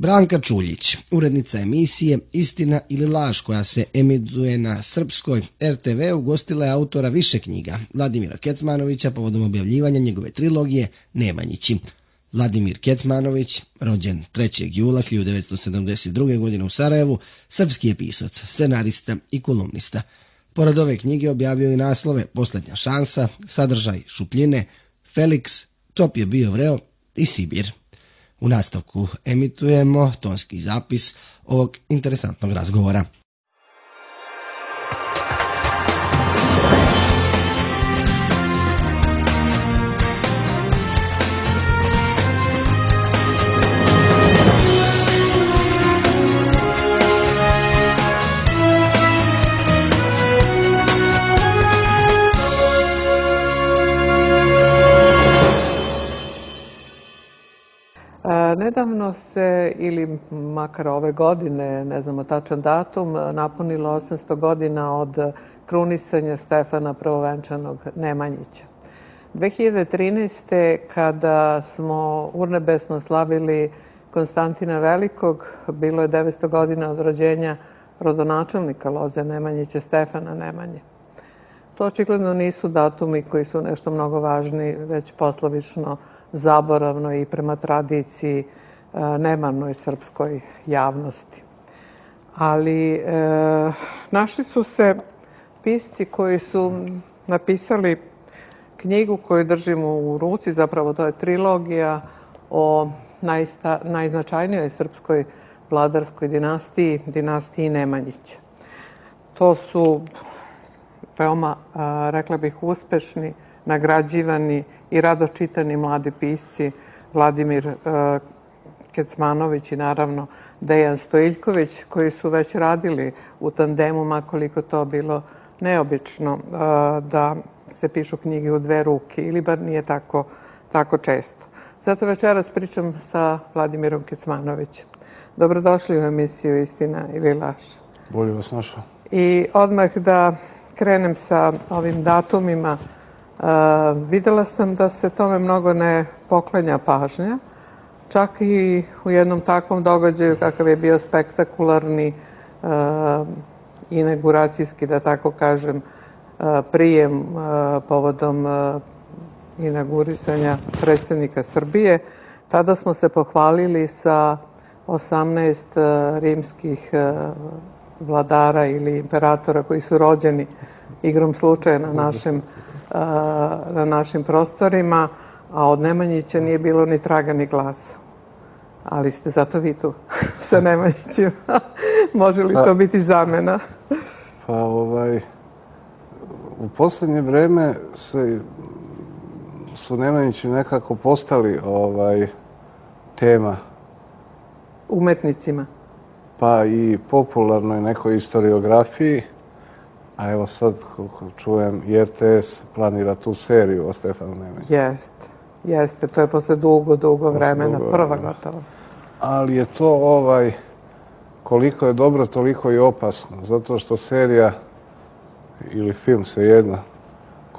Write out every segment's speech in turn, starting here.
Branka Čuljić, urednica emisije Istina ili laž koja se emituje na srpskoj RTV, ugostila je autora više knjiga, Vladimira Kecmanovića, povodom objavljivanja njegove trilogije Nemanjići. Vladimir Kecmanović, rođen 3. jula 1972. godine u Sarajevu, srpski je pisac, scenarista i kolumnista. Pored ove knjige objavio i naslove Posljednja šansa, Sadržaj šupljine, Feliks, Top je bio vreo i Sibir. U nastavku emitujemo tonski zapis ovog interesantnog razgovora. Nedavno se, ili makar ove godine, ne znamo tačan datum, napunilo 800 godina od krunisanja Stefana Prvovenčanog Nemanjića. 2013. kada smo urnebesno slavili Konstantina Velikog, bilo je 900 godina od rođenja rodonačelnika Loze Nemanjića, Stefana Nemanje. To očigledno nisu datumi koji su nešto mnogo važni, već poslovično zaboravno i prema tradiciji nemarnoj srpskoj javnosti. Ali našli su se pisci koji su napisali knjigu koju držimo u ruci, zapravo to je trilogija o najznačajnijoj srpskoj vladarskoj dinastiji, dinastiji Nemanjića. To su veoma, rekla bih, uspešni, nagrađivani i rado čitani mladi pisci Vladimir Kecmanović i naravno Dejan Stojiljković, koji su već radili u tandemu, makoliko to bilo neobično da se pišu knjige u dve ruke, ili bar nije tako često. Zato večeras pričam sa Vladimirom Kecmanovićem. Dobrodošli u emisiju Istina ili laž. Bolje vas našao. I odmah da krenem sa ovim datumima. Videla sam da se tome mnogo ne poklanja pažnja. Čak i u jednom takvom događaju kakav je bio spektakularni inauguracijski, da tako kažem, prijem povodom inaugurisanja predsjednika Srbije. Tada smo se pohvalili sa 18 rimskih vladara ili imperatora koji su rođeni igrom slučaja na našim prostorima, a od Nemanjića nije bilo ni traga ni glasa. Ali ste zato vi tu sa Nemanjićima. Može li to biti zamena? Pa u posljednje vreme su Nemanjići nekako postali tema. Umetnicima? Pa i popularnoj nekoj historiografiji. A evo sad, kako čujem, i RTS planira tu seriju o Stefanu Nemanji. Jeste. To je posle dugo vremena, prva gotova. Ali je to koliko je dobro, toliko i opasno. Zato što serija ili film svejedno,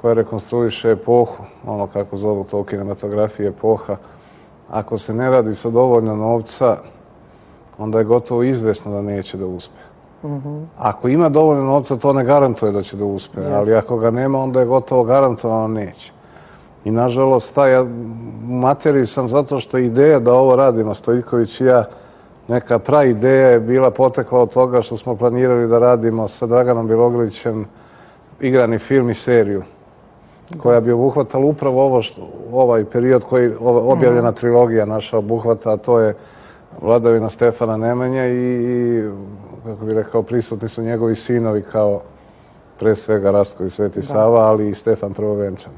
koja rekonstruiše epohu, ono kako zovu to u kinematografiji epoha, ako se ne radi sa dovoljno novca, onda je gotovo izvesno da neće da uspe. Ako ima dovoljno novca, to ne garantuje da će da uspe, ali ako ga nema, onda je gotovo garantovano neće. I nažalost, u materiji sam zato što ideja da ovo radimo, Stojiljković i ja, neka ideja je bila potekla od toga što smo planirali da radimo sa Draganom Bjelogrlićem igrani film i seriju, koja bi obuhvatala upravo ovaj period koji objavljena trilogija naša obuhvata, a to je vladavina Stefana Nemanje i, kako bih rekao, prisutni su njegovi sinovi kao pre svega Rastko i Sveti Sava, ali i Stefan Prvovenčani.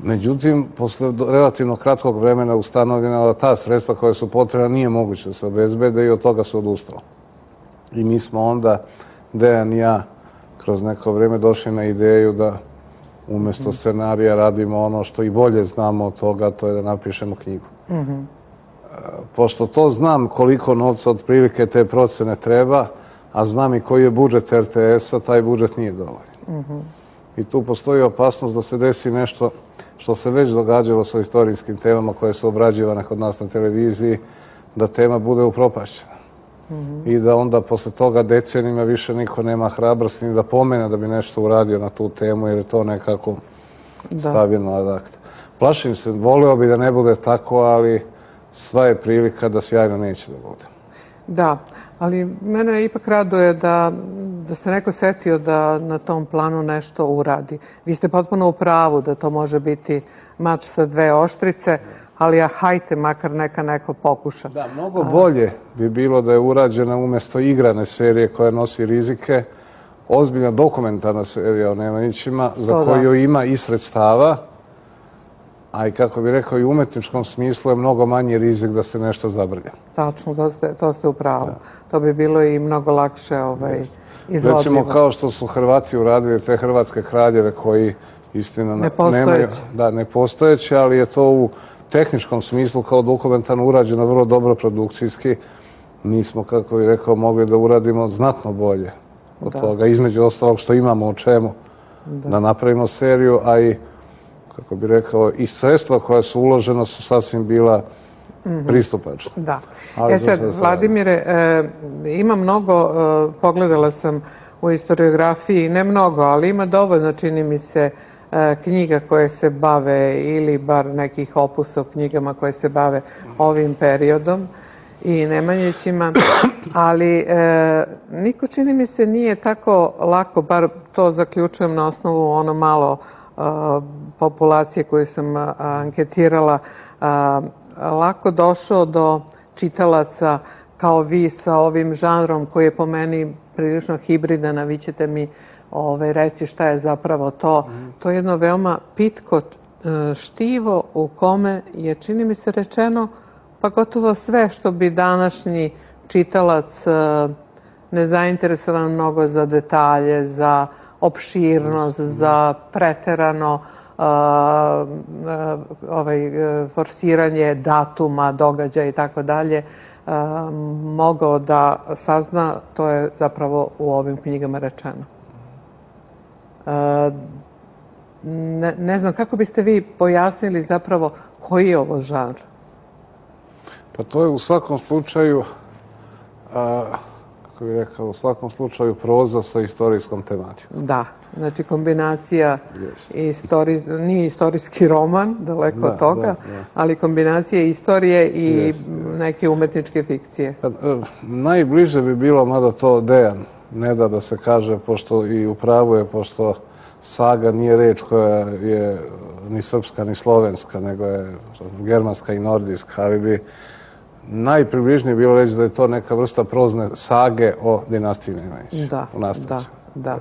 Međutim, posle relativno kratkog vremena ustanovljeno da ta sredstva koja su potrebna nije moguće da se obezbede i od toga se odustalo. I mi smo onda, Dejan i ja, kroz neko vreme došli na ideju da umjesto scenarija radimo ono što i bolje znamo od toga, to je da napišemo knjigu. Pošto to znam koliko novca otprilike te procene treba, a znam i koji je budžet RTS-a, taj budžet nije dovoljan. I tu postoji opasnost da se desi nešto što se već događalo sa istorijskim temama koje su obrađivane kod nas na televiziji, da tema bude upropašćena. I da onda posle toga decenijima više niko nema hrabrosti ni da pomene da bi nešto uradio na tu temu, jer je to nekako stavljeno ad acta. Plašim se, voleo bi da ne bude tako, ali sva je prilika da sjajno neće da bude. Da, ali mene ipak raduje da se neko setio da na tom planu nešto uradi. Vi ste potpuno u pravu da to može biti mač sa dve oštrice, ali hajte, makar neka neko pokuša. Da, mnogo bolje bi bilo da je urađena umjesto igrane serije koja nosi rizike, ozbiljna dokumentarna serija o Nemanjićima, za koju ima i sredstava, a i kako bih rekao i u umetničkom smislu je mnogo manji rizik da se nešto zabrlja. Tačno, to ste u pravu. To bi bilo i mnogo lakše izvodljivo. Recimo kao što su Hrvati uradili te hrvatske kraljeve koji istina nepostojeće, ali je to u tehničkom smislu kao dokumentarno urađeno vrlo dobro produkcijski. Mi smo, kako bih rekao, mogli da uradimo znatno bolje od toga. Između ostalog što imamo o čemu da napravimo seriju, a i, kako bih rekao, i sredstva koja su uložena su sasvim bila pristupačna. Da. Sad, Vladimire, ima mnogo, pogledala sam u historiografiji, ne mnogo, ali ima dovoljno, čini mi se, knjiga koje se bave, ili bar nekih opusa o knjigama koje se bave ovim periodom i Nemanjićima, ali niko, čini mi se, nije tako lako, bar to zaključujem na osnovu ono malo populacije koju sam anketirala, lako došao do čitalaca kao vi sa ovim žanrom koji je po meni prilično hibridan, a vi ćete mi reći šta je zapravo to. To je jedno veoma pitko štivo u kome je, čini mi se, rečeno pa gotovo sve što bi današnji čitalac nezainteresovan mnogo za detalje, za opširnost, za preterano forsiranje datuma, događaja i tako dalje, mogao da sazna, to je zapravo u ovim knjigama rečeno. Ne znam, kako biste vi pojasnili zapravo koji je ovo žanr? Pa to je u svakom slučaju, kako bih rekao, u svakom slučaju proza sa istorijskom tematikom. Da, znači kombinacija, nije istorijski roman, daleko od toga, ali kombinacija istorije i neke umetničke fikcije. Najbliže bi bilo, mada to Dejan ne da se kaže, pošto i u pravu je, pošto saga nije reč koja je ni srpska ni slovenska, nego je germanska i nordijska, ali bi najpribližnije bilo reći da je to neka vrsta prozne sage o dinastiji Nemanjić. Da.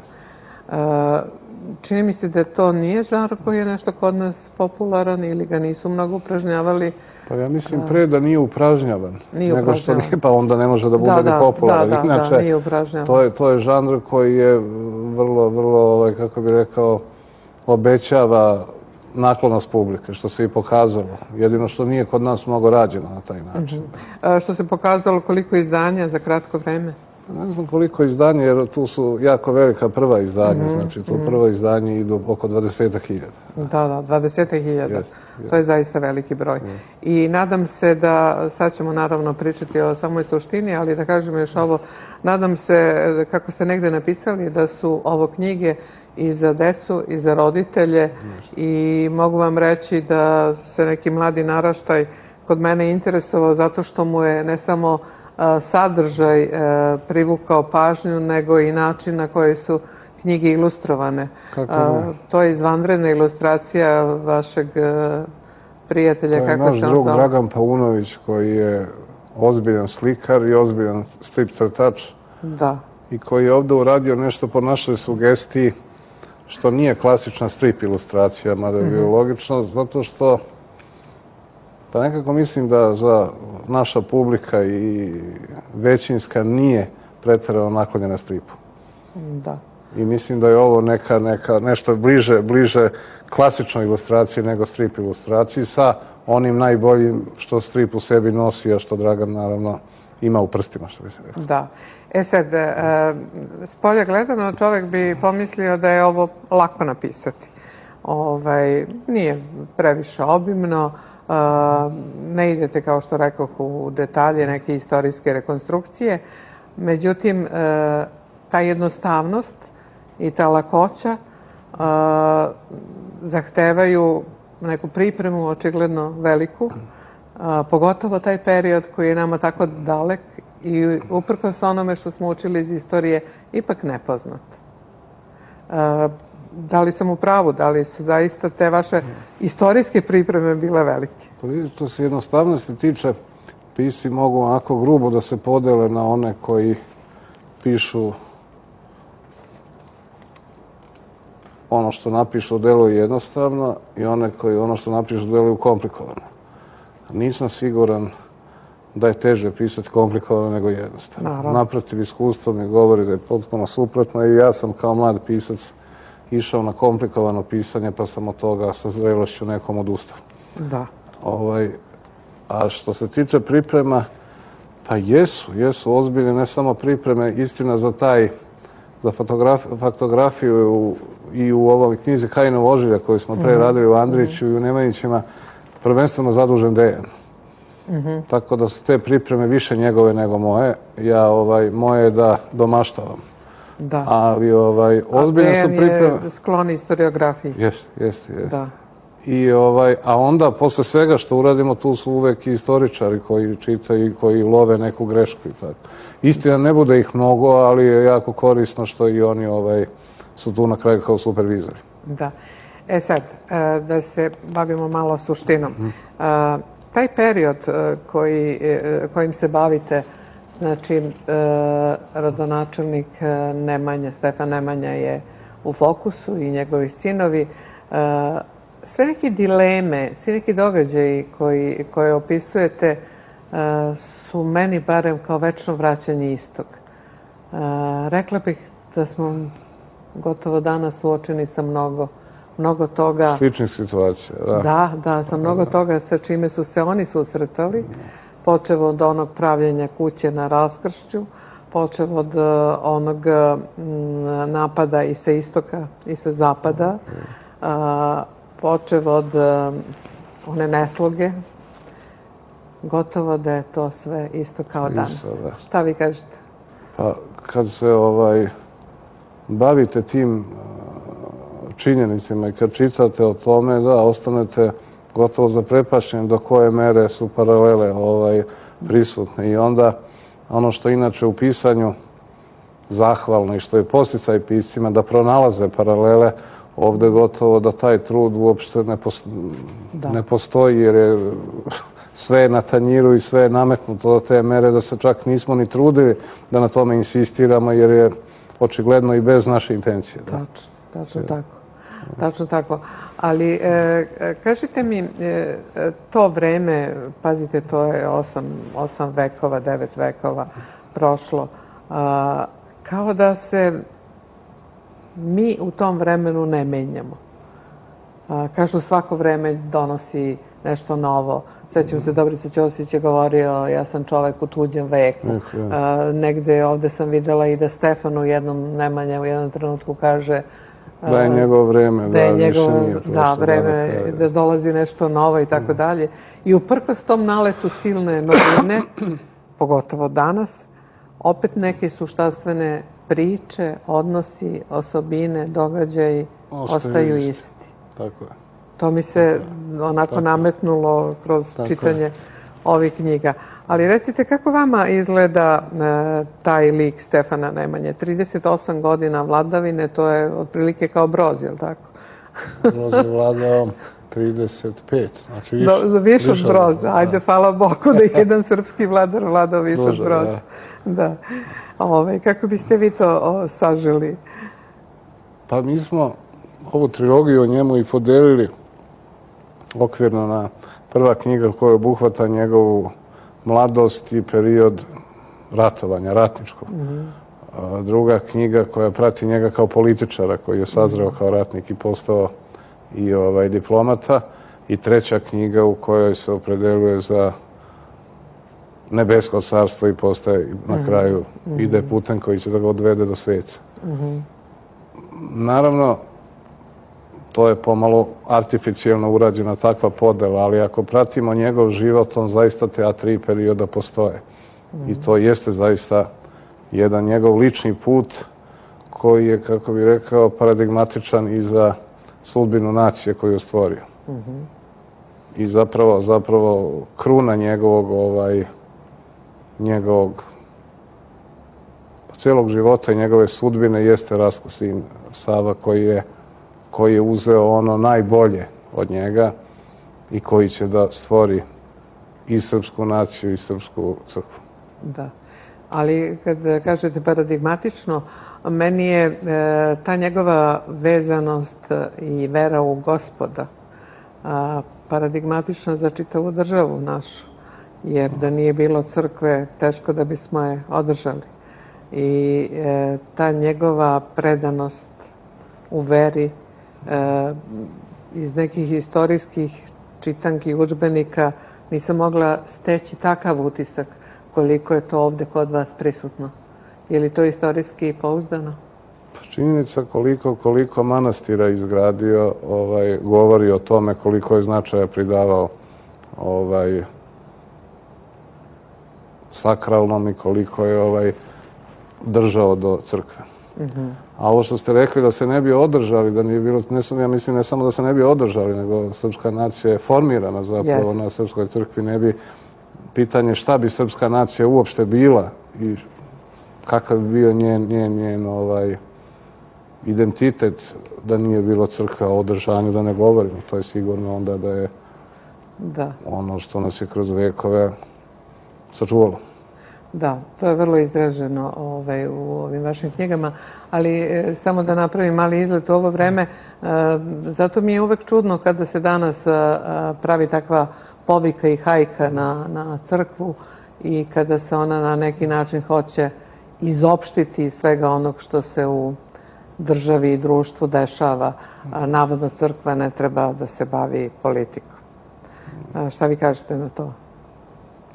Čini mi se da to nije žanr koji je nešto kod nas popularan ili ga nisu mnogo upražnjavali. Pa ja mislim pre da nije upražnjavan. Nego što nije, pa onda ne može da bude ni popularan. Da, nije upražnjavan. To je žanr koji je vrlo, kako bih rekao, obećava naklonost publike, što se i pokazalo. Jedino što nije kod nas mnogo rađeno na taj način. Što se pokazalo, koliko izdanja za kratko vreme? Ne znam koliko izdanja, jer tu su jako velika prva izdanja. Znači, tu prvo izdanje idu oko 20.000. Da, 20.000. To je zaista veliki broj. I nadam se da, sad ćemo naravno pričati o samoj suštini, ali da kažem još ovo, nadam se, kako ste negde napisali, da su ovo knjige i za decu i za roditelje i mogu vam reći da se neki mladi naraštaj kod mene interesovao zato što mu je ne samo sadržaj privukao pažnju, nego i način na koji su knjige ilustrovane. To je izvanredna ilustracija vašeg prijatelja. To je naš drug Dragan Paunović koji je ozbiljan slikar i ozbiljan strip crtač. Da. I koji je ovdje uradio nešto po našoj sugestiji što nije klasična strip ilustracija, mada je bilo logično, zato što pa nekako mislim da za naša publika i većinska nije pretjerano naklonjena stripu. Da. I mislim da je ovo nešto bliže klasičnoj ilustraciji nego strip ilustraciji sa onim najboljim što strip u sebi nosi, a što Dragan naravno ima u prstima, što bi se rekao. Da. Sad, s polja gledano čovjek bi pomislio da je ovo lako napisati. Nije previše obimno, Ne idete, kao što rekoh, u detalje neke istorijske rekonstrukcije, međutim, ta jednostavnost i ta lakoća zahtevaju neku pripremu, očigledno veliku, pogotovo taj period koji je nama tako dalek i uprkos onome što smo učili iz istorije, ipak nepoznat. Da li sam u pravu? Da li su zaista te vaše istorijske pripreme bile velike? Pa vidite, to se jednostavnosti tiče, pisci mogu onako grubo da se podele na one koji pišu ono što napišu deluje jednostavno i one koji ono što napišu deluju komplikovano. Nisam siguran da je teže pisati komplikovano nego jednostavno. Naprotiv, iskustvo mi govori da je potpuno suprotno i ja sam kao mlad pisac išao na komplikovano pisanje pa sam od toga sa zrelošću nekom odustao. Da. A što se tiče priprema, pa jesu ozbiljne ne samo pripreme, istina za faktografiju i u ovoj knjizi Kajinov ožilja koju smo pre radili u Andriću i u Nemanjićima, prvenstveno zadužen Dejan. Tako da su te pripreme više njegove nego moje. Moje je da domaštavam. Da. Ali ozbiljne su pripreme. Dejan je sklon historiografiji. Jeste. A onda, posle svega što uradimo, tu su uvek i istoričari koji čitaju i koji love neku grešku i tako. Istina, ne bude ih mnogo, ali je jako korisno što i oni su tu na kraju kao supervizori. Da. Sad, da se bavimo malo suštinom. Taj period kojim se bavite, znači, rodonačelnik Nemanja, Stefan Nemanja je u fokusu i njegovi sinovi. Sve neke dileme, svi neki događaji koje opisujete su meni barem kao večno vraćanje istog. Rekla bih da smo gotovo danas suočeni sa mnogo toga. Sličnih situacija, da. Da, sa mnogo toga sa čime su se oni susretali. Počev od onog pravljenja kuće na Raskršću, počev od onog napada i sa istoka i sa zapada, počev od one nesloge, gotovo da je to sve isto kao danas. Šta vi kažete? Pa, kad se bavite tim činjenicima i kad čitate o tome, da, ostanete gotovo zaprepašćeni do koje mere su paralele prisutne. I onda, ono što inače u pisanju zahvalno i što je podsticaj piscima da pronalaze paralele, ovde gotovo da taj trud uopšte ne postoji, jer je sve na tanjiru i sve je nametnuto do te mere da se čak nismo ni trudili da na tome insistiramo, jer je očigledno i bez naše intencije. Tačno tako. Ali kažite mi, to vreme, pazite, to je 8 vekova, 9 vekova prošlo, kao da se mi u tom vremenu ne menjamo. Kažu, svako vreme donosi nešto novo. Sećam se, Dobrica Ćosić je govorio, ja sam čovek u tuđem veku. Negde ovde sam videla i da Stefan u jednom, Nemanja u jednom trenutku kaže da je njegovo vreme, da više nije prošlo. Da, vreme, da dolazi nešto novo i tako dalje. I uprkos tom naletu silne novine, pogotovo danas, opet neke suštanstvene priče, odnosi, osobine, događaji ostaju isti. Tako je. To mi se onako nametnulo kroz čitanje ovih knjiga. Ali recite, kako vama izgleda taj lik Stefana Nemanje? 38 godina vladavine, to je otprilike kao Broz, je li tako? Broz je vladao 35, znači više od Broza. Ajde, hvala Bogu da je jedan srpski vladar vladao više od Broza. Da. Kako biste vi to saželi? Pa mi smo ovu trilogiju o njemu i podelili okvirno na prva knjiga koja obuhvata njegovu mladost i period ratovanja, ratničkog. Druga knjiga koja prati njega kao političara koji je sazreo kao ratnik i postao i diplomata. I treća knjiga u kojoj se opredeluje za nebesko carstvo i postaje na kraju ide putem koji će da ga odvede do sveca. Naravno, to je pomalo artificijalno urađena takva podela, ali ako pratimo njegov život, on zaista te tri perioda postoje. I to jeste zaista jedan njegov lični put koji je, kako bih rekao, paradigmatičan i za sudbinu nacije koju je stvorio. I zapravo kruna njegovog cijelog života i njegove sudbine jeste Rastko sin Sava koji je uzeo ono najbolje od njega i koji će da stvori i srpsku naciju i srpsku crkvu. Da, ali kad kažete paradigmatično, meni je ta njegova vezanost i vera u Gospoda paradigmatična za čitavu državu našu, jer da nije bilo crkve, teško da bismo je održali. I ta njegova predanost u veri iz nekih istorijskih čitanki udžbenika nisam mogla steći takav utisak koliko je to ovde kod vas prisutno. Je li to istorijski pouzdano? Činjenica koliko manastira izgradio govori o tome koliko je značaja pridavao sakralnom i koliko je držao do crkve. A ovo što ste rekli da se ne bi održali, da nije bilo, ja mislim ne samo da se ne bi održali, nego srpska nacija je formirana zapravo na srpskoj crkvi, ne bi pitanje šta bi srpska nacija uopšte bila i kakav bi bio njen identitet da nije bilo crkve, o održanju da ne govorimo. To je sigurno onda da je ono što nas je kroz vekove sačuvalo. Da, to je vrlo izraženo u ovim vašim knjigama, ali samo da napravim mali izlet u ovo vreme, zato mi je uvek čudno kada se danas pravi takva povika i hajka na crkvu i kada se ona na neki način hoće izopštiti iz svega onog što se u državi i društvu dešava. Navodno crkva ne treba da se bavi politikom. Šta vi kažete na to?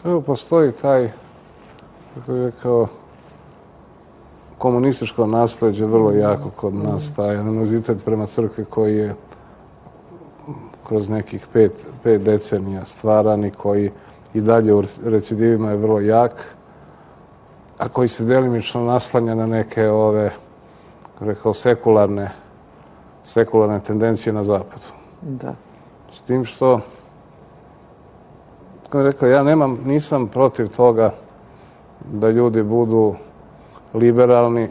Evo, postoji taj, kako bih rekao, komunističko nasleđe vrlo jako kod nas, taj animozitet prema crkvi koji je kroz nekih 5 decenija stvaran i koji i dalje u recidivima je vrlo jak, a koji se delimično naslanja na neke rekao, sekularne tendencije na zapadu. Da. S tim što, kako bih rekao, ja nisam protiv toga da ljudi budu liberalni,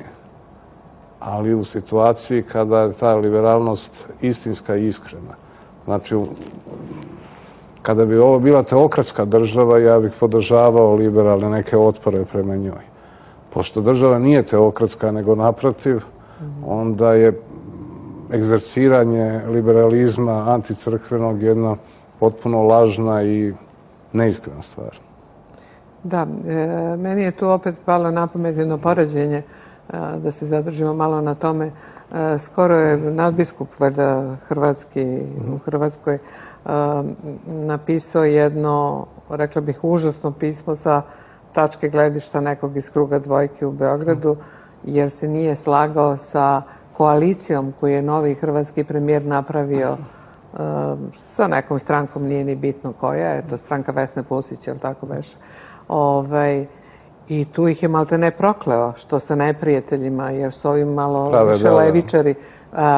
ali u situaciji kada je ta liberalnost istinska i iskrena. Znači, kada bi ovo bila teokratska država, ja bih podržavao liberalne neke otpore prema njoj. Pošto država nije teokratska, nego naprotiv, onda je egzerciranje liberalizma anticrkvenog jedna potpuno lažna i neiskrena stvar. Da, meni je tu opet palo na pamet jedno poređenje, da se zadržimo malo na tome. Skoro je nadbiskup hrvatski u Hrvatskoj napisao jedno, rekla bih, užasno pismo sa tačke gledišta nekog iz kruga dvojke u Beogradu, jer se nije slagao sa koalicijom koju je novi hrvatski premijer napravio sa nekom strankom, nije ni bitno koja je, to stranka Vesne Pusić, jel tako beše? I tu ih je malte ne prokleo, što sa neprijateljima, jer su ovim malo više levičari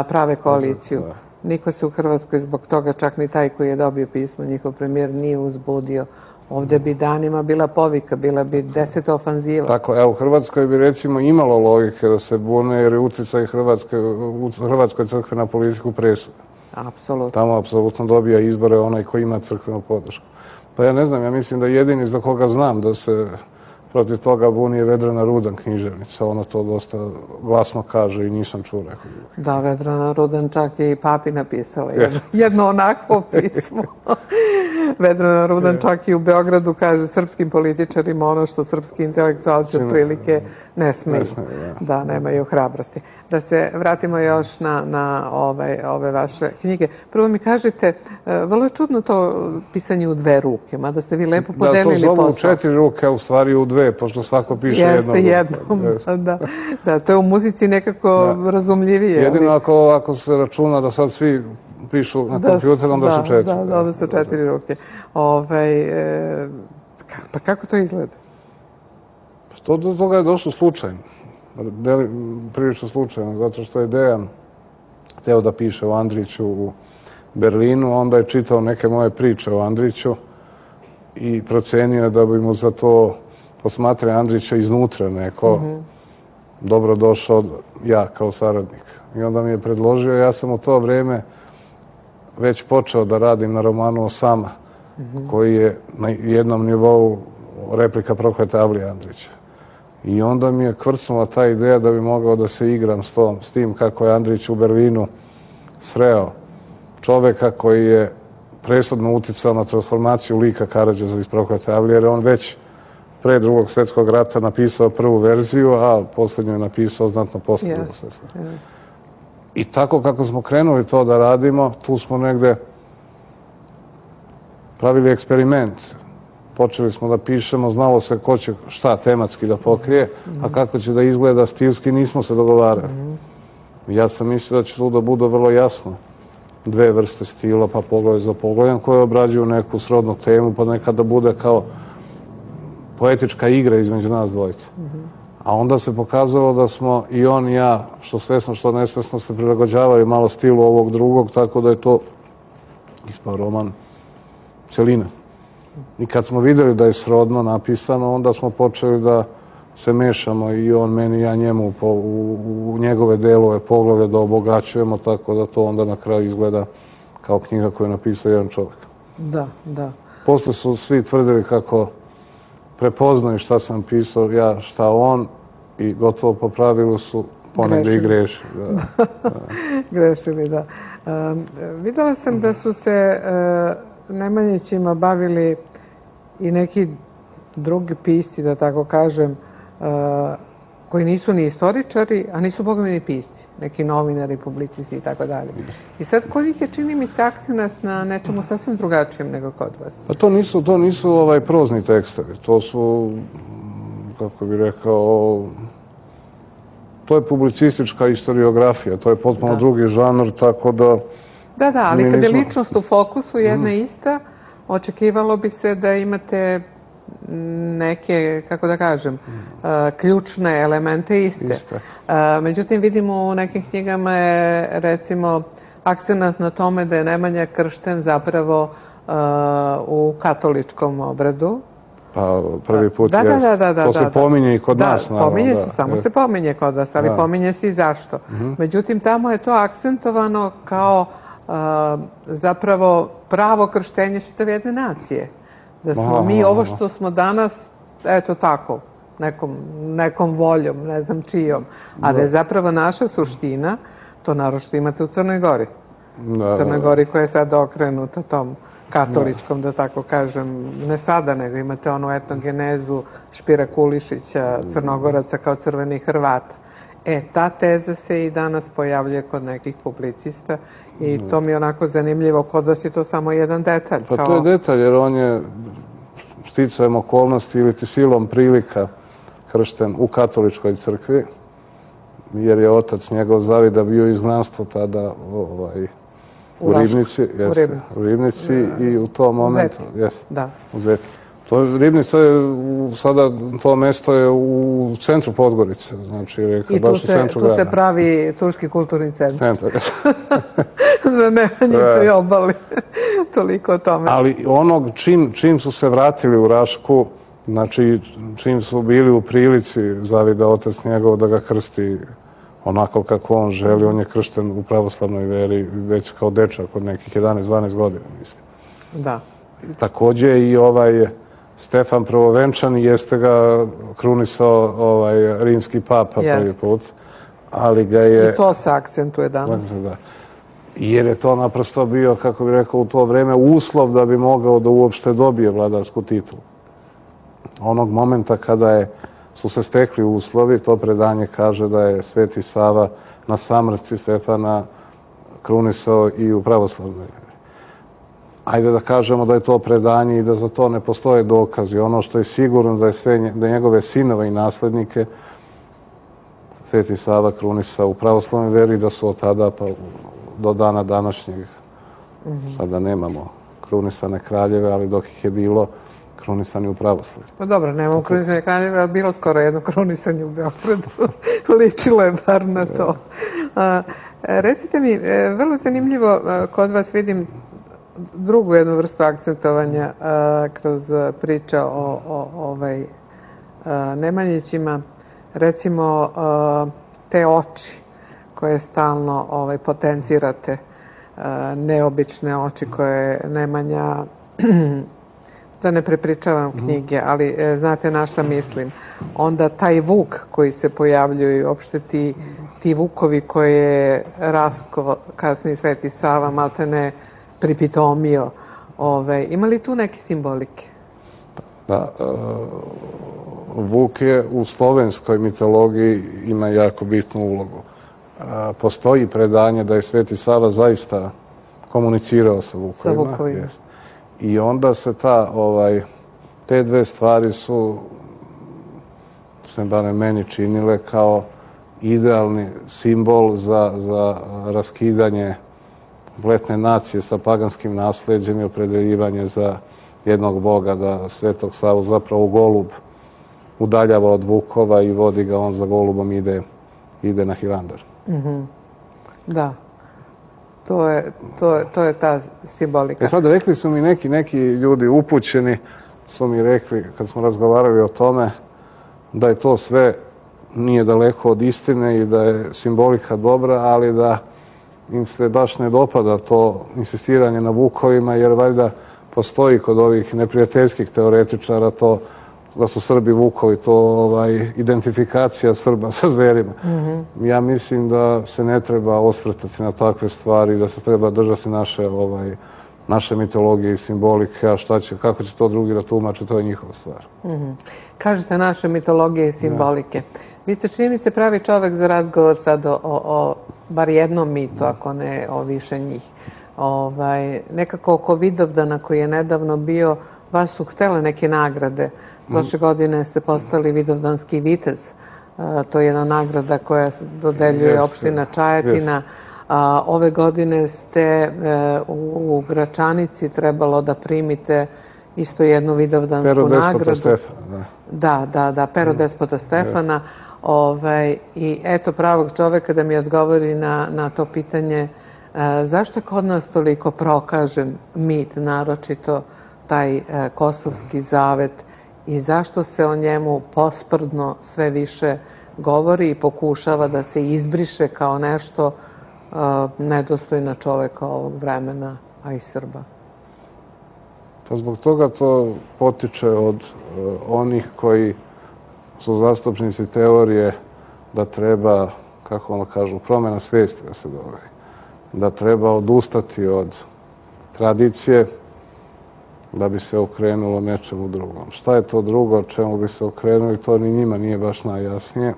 prave koaliciju. Niko se u Hrvatskoj zbog toga, čak ni taj koji je dobio pismo, njihov premijer, nije uzbudio. Ovde bi danima bila povika, bila bi 10 ofanziva. Tako, evo, u Hrvatskoj bi recimo imalo logike da se bune, jer je utjecaj Hrvatskoj crkve na politiku presuda. Apsolutno. Tamo apsolutno dobija izbore onaj koji ima crkvenu podršku. Pa ja ne znam, ja mislim da jedini za koga znam da se protiv toga buni je Vedrana Rudan, književnica. Ona to dosta glasno kaže i nisam čuo nekog. Da, Vedrana Rudan čak je i papi napisala jedno onakvo pismo. Vedrana Rudan čak i u Beogradu kaže srpskim političarima ono što srpski intelektualci otprilike ne smiju. Da, nemaju hrabrosti. Da se vratimo još na ove vaše knjige. Prvo mi kažete, vrlo je čudno to pisanje u 2 ruke, mada ste vi lepo podelili posao. Da, to zovu u 4 ruke, a u stvari u 2, pošto svako piše jednom. Jeste, da, to je u muzici nekako razumljivije. Jedino ako se računa da sad svi pišu na kompjuter, onda su 4. Da, onda su 4 ruke. Pa kako to izgleda? Do toga je došlo slučajno. Prilično slučajno, zato što je Dejan hteo da piše o Andriću u Berlinu, onda je čitao neke moje priče o Andriću i procenio da bi mu za to posmatranje Andrića iznutra neko dobro došao ja kao saradnik. I onda mi je predložio, ja sam u to vreme već počeo da radim na romanu Osama, koji je na jednom nivou replika Proklete Avlije Andrića. I onda mi je kvrcnula ta ideja da bi mogao da se igram s tim kako je Andrić u Berlinu sreo čoveka koji je presudno uticao na transformaciju lika Karađorđa iz Proklete Avlije, jer on već pre Drugog svjetskog rata napisao prvu verziju, a posljednju je napisao znatno posle Drugog svjetskog rata. I tako kako smo krenuli to da radimo, tu smo negde pravili eksperiment. Počeli smo da pišemo, znalo se ko će šta tematski da pokrije, a kako će da izgleda stilski, nismo se dogovarali. Ja sam mislio da će tu da bude vrlo jasno. 2 vrste stila, pa poglavlje za poglavljem, koje obrađuju neku srodnu temu, pa nekada bude kao poetička igra između nas dvojica. A onda se pokazalo da smo i on i ja, što svesno, što nesvesno, se prilagođavali malo stilu ovog drugog, tako da je to ispao roman celina. I kad smo videli da je srodno napisano, onda smo počeli da se mešamo i on meni i ja njemu u njegove delove poglavlja da obogaćujemo, tako da to onda na kraju izgleda kao knjiga koju je napisao jedan čovjek. Da. Posle su svi tvrdili kako prepoznaju šta sam pisao, ja šta on, i gotovo po pravilu su ponegde i grešili. Grešili, da. Videla sam da su se Nemanjićima bavili i neki drugi pisci, da tako kažem, koji nisu ni istoričari, a nisu bogami ni pisci, neki novinari, publicisti i tako dalje. I sad kod je, čini mi se, akcenat na nečemu sasvim drugačijem nego kod vas? Pa to nisu prozni tekstovi, to su, kako bih rekao, to je publicistička historiografija, to je potpuno drugi žanr, tako da... Da, ali kad je ličnost u fokusu jedna ista, očekivalo bi se da imate neke, kako da kažem, ključne elemente iste. Međutim, vidimo u nekim knjigama je, recimo, akcenat na tome da je Nemanja kršten zapravo u katoličkom obradu. Pa prvi put je, to se pominje i kod nas. Da, pominje se, samo se pominje kod vas, ali pominje se i zašto. Međutim, tamo je to akcentovano kao zapravo pravo krštenje čitave jedne nacije. Da smo mi ovo što smo danas, eto tako, nekom voljom, ne znam čijom, a da je zapravo naša suština, to naročito imate u Crnoj Gori. Crnoj Gori koja je sad okrenuta tom katoličkom, da tako kažem, ne sada, nego imate onu etnogenezu Špira Kulišića, Crnogoraca kao crveni Hrvat. Ta teza se i danas pojavljuje kod nekih publicista i to mi je onako zanimljivo. Kod vas je to samo jedan detalj. Pa to je detalj, jer on je sticajem okolnosti ili silom prilika kršten u katoličkoj crkvi, jer je otac njegov Zavida bio izgnanstvo tada u Ribnici i u tom momentu... U Zeti. Ribnica je sada, to mesto je u centru Podgorice, znači baš u centru grada. I tu se pravi Turski kulturni centar. Za Nemanjicu i obali. Toliko o tome. Ali onog čim su se vratili u Rašku, znači čim su bili u prilici Zavida otac njegov da ga krsti onako kako on želi, on je kršten u pravoslavnoj veri već kao dečak od nekih 11-12 godina, mislim. Da. Takođe i Stefan Prvovenčani, jeste ga krunisao rimski papa prvi put, ali ga je... I to se akcentuje danas. Jer je to naprosto bio, kako bih rekao, u to vreme uslov da bi mogao da uopšte dobije vladarsku titulu. Onog momenta kada su se stekli uslovi, to predanje kaže da je Sveti Sava na samrtci Stefana krunisao i u pravoslavnoj veri. Ajde da kažemo da je to predanje i da za to ne postoje dokazi. Ono što je sigurno da njegove sinove i naslednike Sveti Sava krunisao u pravoslavnoj veri, da su od tada pa do dana današnjeg Sada nemamo krunisane kraljeve, ali dok ih je bilo, krunisani u pravoslavlju. Pa dobro, nemamo krunisane kraljeve, ali bilo skoro jedno krunisanje u Beogradu. Ličilo je bar na to. Recite mi, vrlo zanimljivo, kod vas vidim drugu jednu vrstu akcentovanja kroz priča o Nemanjićima. Recimo, te oči koje stalno potencirate, neobične oči koje Nemanja, da ne prepričavam knjige, ali znate na šta mislim. Onda taj Vuk koji se pojavljuje i uopšte ti Vukovi koje je Rasko, kasnije Sveti Sava, maltene pripitomio. Ima li tu neke simbolike? Da, Vuk je u slovenskoj mitologiji ima jako bitnu ulogu. Postoji predanje da je Sveti Sava zaista komunicirao sa Vukovima. I onda se te dve stvari su se barem meni činile kao idealni simbol za raskidanje kompletne nacije sa paganskim nasleđem i opredeljivanje za jednog boga, da Svetog Savu zapravo golub udaljava od Vukova i vodi ga, on za golubom ide na Hilandar. Da, to je ta simbolika. Sad rekli su mi neki ljudi upućeni, su mi rekli kad smo razgovarali o tome, da je to sve nije daleko od istine i da je simbolika dobra, ali da im se baš ne dopada to insistiranje na Vukovima, jer valjda postoji kod ovih neprijateljskih teoretičara to da su Srbi Vukovi, to identifikacija Srba sa zverima. Ja mislim da se ne treba osvrtati na takve stvari, da se treba držati naše mitologije i simbolike, a kako će to drugi da tumače, to je njihova stvar. Kažete naše mitologije i simbolike. Vi ste, čini mi se, pravi čovek za razgovor sad o bar jednom mitu, ako ne o više njih. Nekako oko Vidovdana koji je nedavno bio, vas su htele neke nagrade. Prošle godine ste postali Vidovdanski vitez. To je jedna nagrada koja se dodeljuje opština Čajetina. Ove godine ste u Gračanici trebalo da primite isto jednu Vidovdansku nagradu. Pero Despota Stefana. Da, Pero Despota Stefana. I eto pravog čoveka da mi odgovori na to pitanje zašto je kod nas toliko prokažen mit, naročito taj Kosovski zavet, i zašto se o njemu posprdno sve više govori i pokušava da se izbriše kao nešto nedostojno čoveka ovog vremena, a i Srba? Pa zbog toga to potiče od onih koji su zastupnici teorije da treba, kako ono kažu, promjena svijesti da se dogodi. Da treba odustati od tradicije da bi se okrenulo nečemu drugom. Šta je to drugo čemu bi se okrenuli, to ni njima nije baš najjasnije,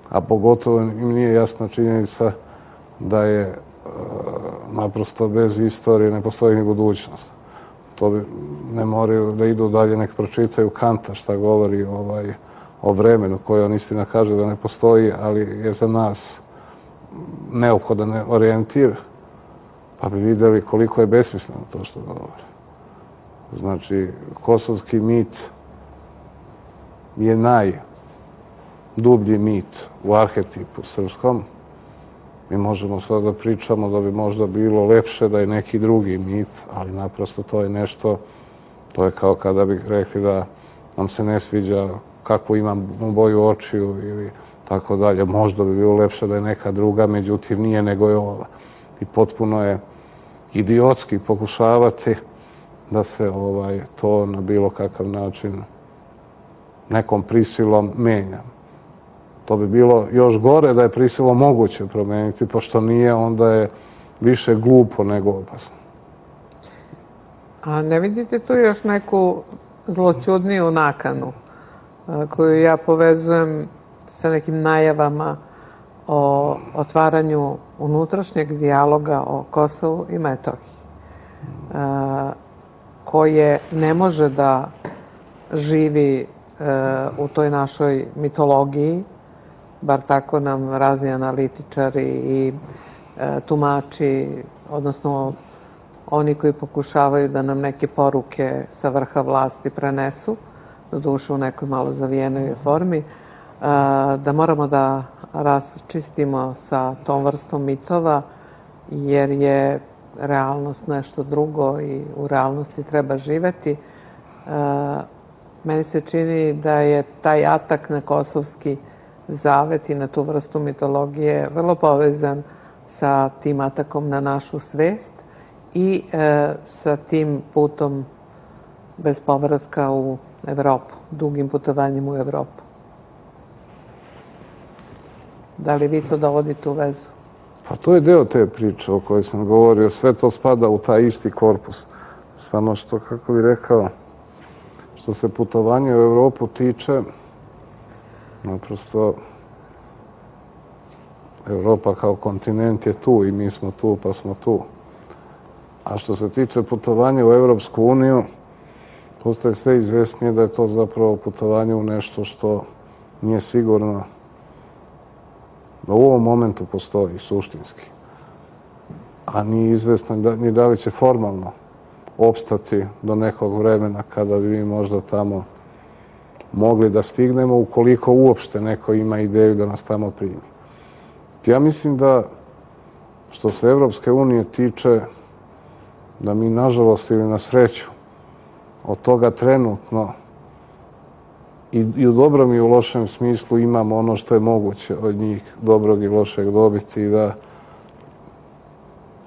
a pogotovo im nije jasna činjenica da je naprosto bez istorije ne postoji ni budućnost. To bi ne moraju da idu dalje, nek pročitaju Kanta šta govori o vremenu koje on istina kaže da ne postoji, ali je za nas neophodan orijentir, pa bi vidjeli koliko je besmisleno to što govori. Znači, kosovski mit je najdublji mit u arhetipu srpskom. Mi možemo sad da pričamo da bi možda bilo lepše da je neki drugi mit, ali naprosto to je nešto, to je kao kada bi rekli da nam se ne sviđa kako imam boju očiju ili tako dalje. Možda bi bilo lepše da je neka druga, međutim nije, nego je ova. I potpuno je idiotski pokušavati da se to na bilo kakav način nekom prisilom menja. To bi bilo još gore da je prisilom moguće promeniti, pošto nije, onda je više glupo nego opasno. A ne vidite tu još neku zloćudniju nakanu koju ja povezujem sa nekim najavama o otvaranju unutrašnjeg dijaloga o Kosovu i Metohiji, koje ne može da živi u toj našoj mitologiji, bar tako nam razni analitičari i tumači, odnosno oni koji pokušavaju da nam neke poruke sa vrha vlasti prenesu, doduše u nekoj malo zavijenoj formi, da moramo da raščistimo sa tom vrstom mitova, jer je realnost nešto drugo i u realnosti treba živeti. Meni se čini da je taj atak na kosovski zavet i na tu vrstu mitologije vrlo povezan sa tim atakom na našu svest i sa tim putom bez povratka u Evropu, dugim putovanjem u Evropu. Da li vi to dovodite u vezu? Pa to je deo te priče o kojoj sam govorio. Sve to spada u taj isti korpus. Samo što, kako bih rekao, što se putovanja u Evropu tiče, naprosto Evropa kao kontinent je tu i mi smo tu pa smo tu. A što se tiče putovanja u Evropsku uniju, postaje sve izvesnije da je to zapravo putovanje u nešto što nije sigurno da u ovom momentu postoji suštinski. A nije izvesno ni da li će formalno opstati do nekog vremena kada bi mi možda tamo mogli da stignemo, ukoliko uopšte neko ima ideju da nas tamo primi. Ja mislim da, što se Evropske unije tiče, da mi nažalost ili na sreću od toga trenutno i u dobrom i u lošem smislu imamo ono što je moguće od njih dobrog i lošeg dobiti i da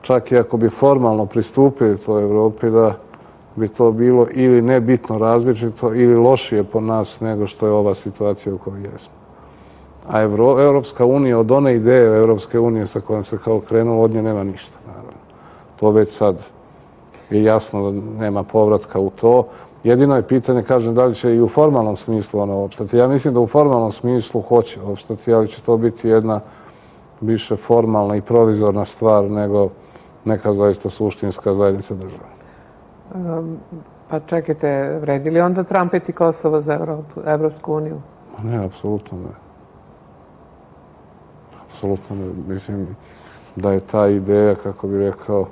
čak i ako bi formalno pristupili toj Evropi, da bi to bilo ili nebitno različito ili lošije po nas nego što je ova situacija u kojoj jesmo. A Evropska unija, od one ideje Evropske unije sa kojom se kao krenulo, od nje nema ništa. Naravno. To već sad je jasno da nema povratka u to. Jedino je pitanje, kažem, da li će i u formalnom smislu ono opstati. Ja mislim da u formalnom smislu hoće opstati, ali će to biti jedna više formalna i provizorna stvar nego neka zaista suštinska zajednica država. Pa čekajte, vredi li onda trampeti Kosovo za Evropsku uniju? Ne, apsolutno ne. Apsolutno ne. Mislim da je ta ideja, kako bih rekao,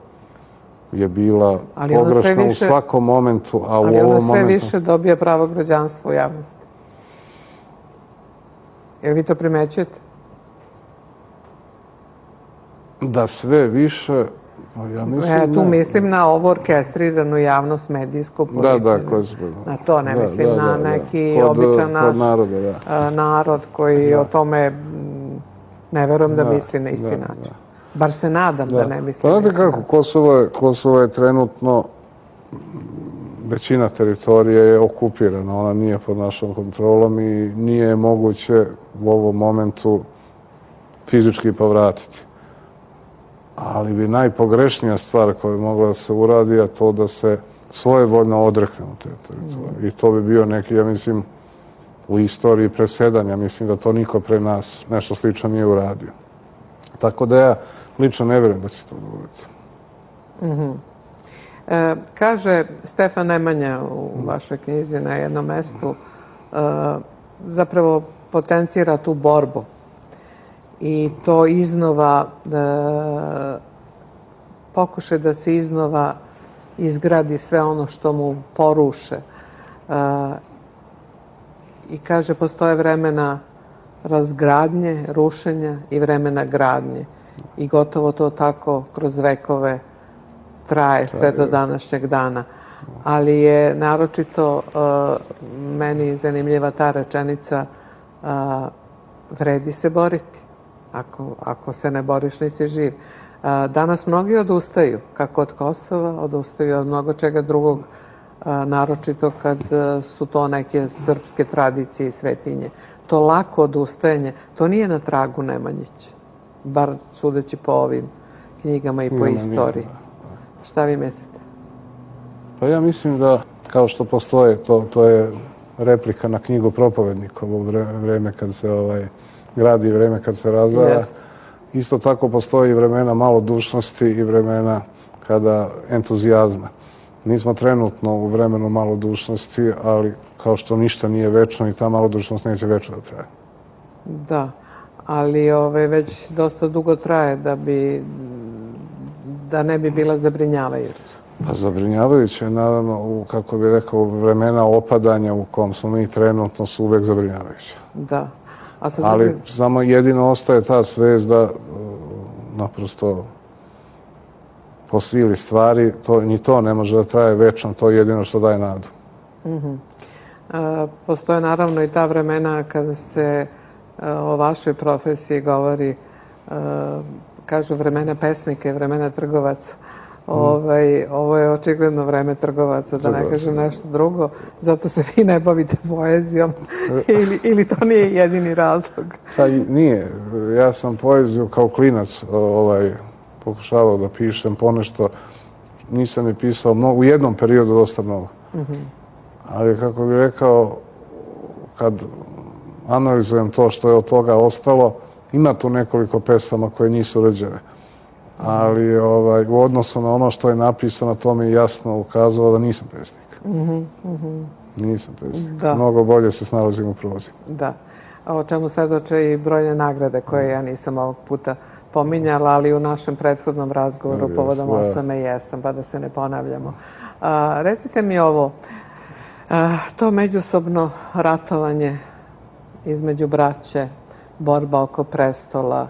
je bila pogrešna u svakom momentu, a u ovom momentu... Ali ona sve više dobija pravo građanstvo u javnosti. Jer vi to primećujete? Da sve više... Tu mislim na ovo orkestriranu javnost, medijsku, političku. Na to ne mislim na neki običan narod koji o tome ne verujem da misli na isti način. Bar se nadam da ne misli. Pa znate kako, Kosovo je trenutno, većina teritorije je okupirana, ona nije pod našom kontrolom i nije moguće u ovom momentu fizički povratiti. Ali bi najpogrešnija stvar koja bi mogla da se uradi, a to da se svojevoljno odreknemo te teritorije. I to bi bio neki, ja mislim, u istoriji presedanja, mislim da to niko pre nas nešto slično nije uradio. Tako da ja lično ne vjerujem da će to dogoditi. Kaže Stefan Nemanja u vašoj knjizi na jednom mestu, zapravo potencira tu borbu i to iznova, pokušaj da se iznova izgradi sve ono što mu poruše. I kaže, postoje vremena razgradnje, rušenja i vremena gradnje. I gotovo to tako kroz vekove traje sve do današnjeg dana. Ali je naročito meni zanimljiva ta rečenica, vredi se boriti. Ako se ne boriš, nisi živ. Danas mnogi odustaju, kako od Kosova, odustaju od mnogo čega drugog, naročito kad su to neke srpske tradicije i svetinje. To lako odustajanje, to nije na tragu Nemanjića, bar sudeći po ovim knjigama i po istoriji. Šta vi mislite? Pa ja mislim da, kao što postoje, to je replika na knjigu Propovednikovo, vreme kad se gradi i vreme kad se razvara. Isto tako postoji vremena malodušnosti i vremena kada entuzijazma. Nismo trenutno u vremenu malodušnosti, ali kao što ništa nije večno i ta malodušnost neće večno da traje. Da, ali već dosta dugo traje da ne bi bila zabrinjavajuća. Pa zabrinjavajuće je, naravno, kako bih rekao, vremena opadanja u kom smo mi trenutno su uvek zabrinjavajuće. Da. Ali samo jedino ostaje ta svest da naprosto po sili stvari, ni to ne može da traje večno, to je jedino što daje nadu. Postoje naravno i ta vremena kada se o vašoj profesiji govori, kažu vremena pesnika i vremena trgovaca. Ovo je očigledno vreme trgovaca, da ne kažem nešto drugo, zato se vi ne bavite poezijom ili to nije jedini razlog? Nije. Ja sam poeziju kao klinac pokušavao da pišem ponešto. Nisam je pisao u jednom periodu dosta mnogo. Ali kako bih rekao, kad analizujem to što je od toga ostalo, ima tu nekoliko pesama koje nisu urađene. Ali u odnosu na ono što je napisano, to mi je jasno ukazalo da nisam pesnik. Nisam pesnik. Mnogo bolje se snalazim u prozi. Da. O čemu svedoče i brojne nagrade koje ja nisam ovog puta pominjala, ali u našem prethodnom razgovoru povodom 8. jesam, pa da se ne ponavljamo. Recite mi ovo, to međusobno ratovanje između braće, borba oko prestola,